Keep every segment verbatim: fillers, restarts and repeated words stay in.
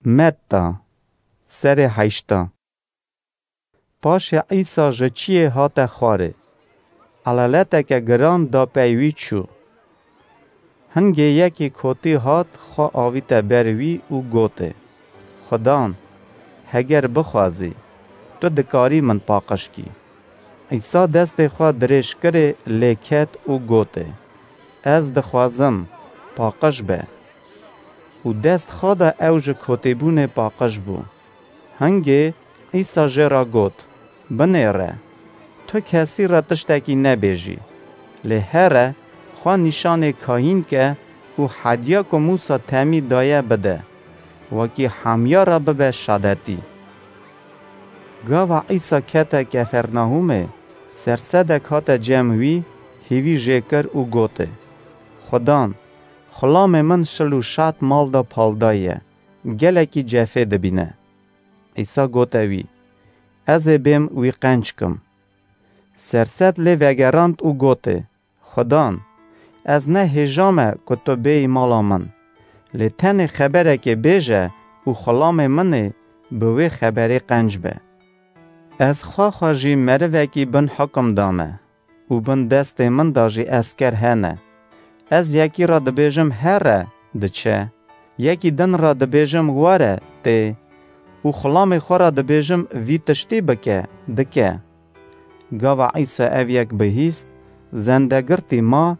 Metta, serê heşta. Paşê Îsa ji çiyê hate xwarê. Eleleteke giran da pey wî çû. Hingê yekî kotî hat, xwe avîte ber wî û gotê: "Xudan, heger bixwazî, tu dikarî min paqij kî." Îsa destê xwe dirêj kirê, lê ket û gotê: "Ez dixwazim, paqij be." Û dest xwe da, ew ji kotîbûnê paqij bû. Hingê Îsa jê re got: "Binêre, tu kesî re tiştekî nebêjî, lê here xwe nîşanê kahîn ke û hediya ku Mûsa temî daye bide, wekî hemiya re bibe şadetî." Gava Îsa kete Kefernahûmê, sersedek hate cem wî, hîvî jê kir û gotê: "Xudan, xulamê min şil û şat mal da paldaye, gelekî cefê dibîne." Îsa gote wî: "Ez ê bêm wî qenc kim." Sersed lê vegerand û gotê: "Xudan, ez ne hêja me ku tu bêyî mala min, lê tenê xeberekê bêje û xulamê min ê bi wê xeberê qenc be. Ez xwe xwe jî merivekî bin hukum dame û bin destê min de jî esker hene. Ez yekî re dibêjim, 'Here', diçe. Yekî din re dibêjim, 'Were', tê. Û xulamê xwe re dibêjim, 'Vî tiştî bike', dike." Gava Îsa ev yek bihîst, zendegirtî ma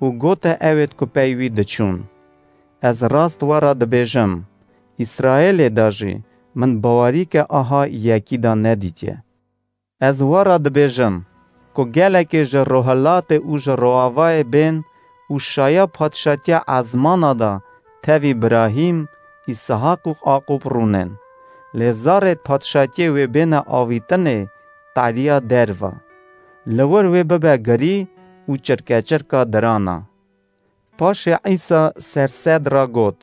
û gote ewêd ku pey wî diçûn: "Ez rast we re dibêjim, Îsraêlê de jî min bawerîke aha yekî de nedîtiye. Ez we re dibêjim ku gelekê ji rohilatê û ji roavayê bên û şaya padşatiya ezmana de tevî Birahîm, Îshaq û Aqûb rûnên, lê zarê padşatiyê wê bêne avîtinê taliya derva. Li wir wê bibe girî û çirkeçirka dirana." Paşê Îsa sersed re got: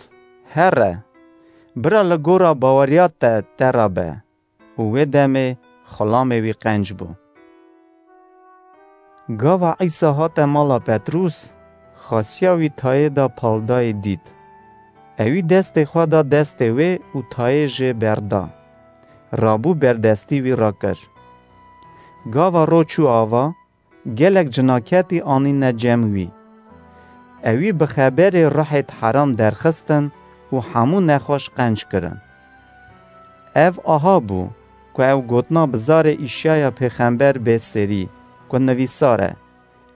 "Here, bira li gora baweriya te te re be." Û wê demê xulamê wî qenc bû. Gava Îsa hate mala Petrûs, xasiya wî tayê da paldayê dît. Ewî destê xwe da destê wê û tayê jê berda. Rabû berdestî wî rakir. Gava ro çû ava, gelek cinaketî anîne cem wî. Ewî bi xeberê ruhêd heram derxistin û hemû nexweş qenc kirin. Ev aha bû ku ew gotina bi zarê Îşaya pêxember bê serî, ku nivîsar e: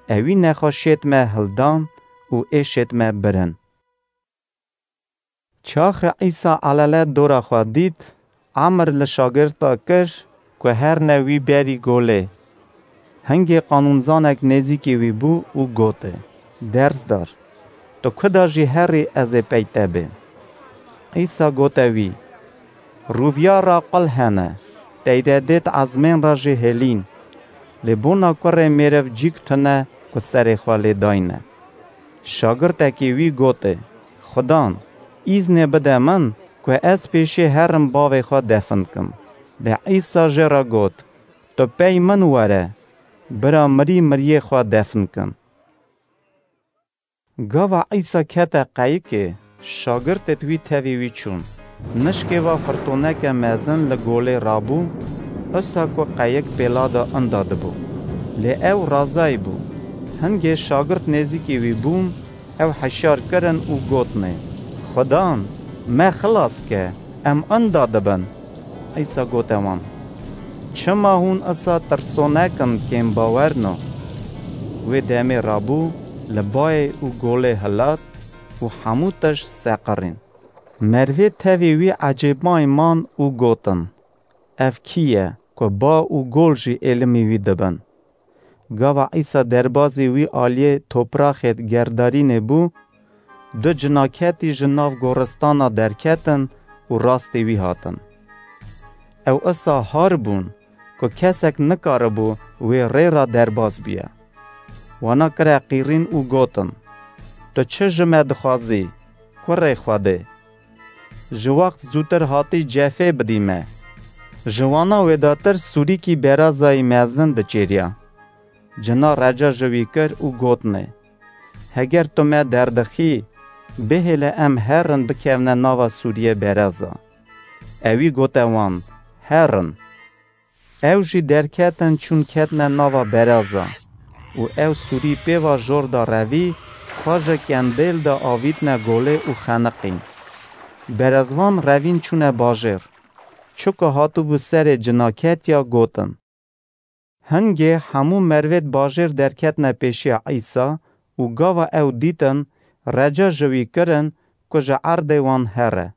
"Ewî nexweşêd me hildan û êşêd me birin." Çaxê Îsa elele dora xwe dît, emir li şagirta kir ku herne wî berî golê. Hingê qanûnzanek nêzîkî wî bû û gotê: "Dersdar, tu ku de jî herî, ez ê pey te bêm." Îsa gote wî: "Rûviyara qul hene, teyredêd ezmên re jî hêlîn, lê bona kurê mêriv cîk tune ku serê xwe lê dayne." Şagirtekî wî gotê: "Xudan, îznê bide min ku ez pêşê herim bavê xwe defin kim." Lê Îsa jê re got: "Tu pey min were, bira mirî miriyê xwe defin kin." Gava Îsa kete qeyikê, şagirtêd wî tevî wî çûn. Nişkê ve firtoneke mezin li golê rabû, usa ku qeyik pêla de inda dibû. Lê ew razayî bû. Hingê şagirt nêzîkî wî bûn, ew hişyar kirin û gotinê: "Xudan, me xilas ke, em inda dibin." Îsa gote wan: "Çima hûn usa tirsonek in, kêmbawerno?" Wê demê rabû, li bayê û golê hilat û hemû tişt seqirîn. Merivê tevî wî ecêbmayî man û gotin: "Ev kî ye ku ba û gol jî êlimî wî dibin?" Gava Îsa derbazî wî aliyê topraxê gerdarînê bû, du cinaketî ji nav goristana derketin û rastê wî hatin. Ew usa har bûn ku kesek nikaribû wê rê re derbaz biye. Wana kire qîrîn û gotin: "Tu çi ji me dixwazî, kurê Xwedê? Ji wext zûtir hatî cefê bidî me." Ji wana wêdatir sûrîkî berazayî mezin diçêriya. Cina reca ji wî kir û gotinê: "Heger tu me derdixî, bihêle em herin bikevne nava sûriyê beraza." Ewî gote wan, Herin. Ew jî derketin çûn ketine nava bereza û ew sûrî pê va jor da revî, xwe ji kendêl de avîtine golê û xeniqîn. Berezvan revîn çûne bajêr. Çi ku hatibû serê cina ketiya gotin. Hingê hemû mervêd bajêr derketine pêşiya Îsa û gava ew dîtin, reca ji wî kirin ku ji erdê wan here.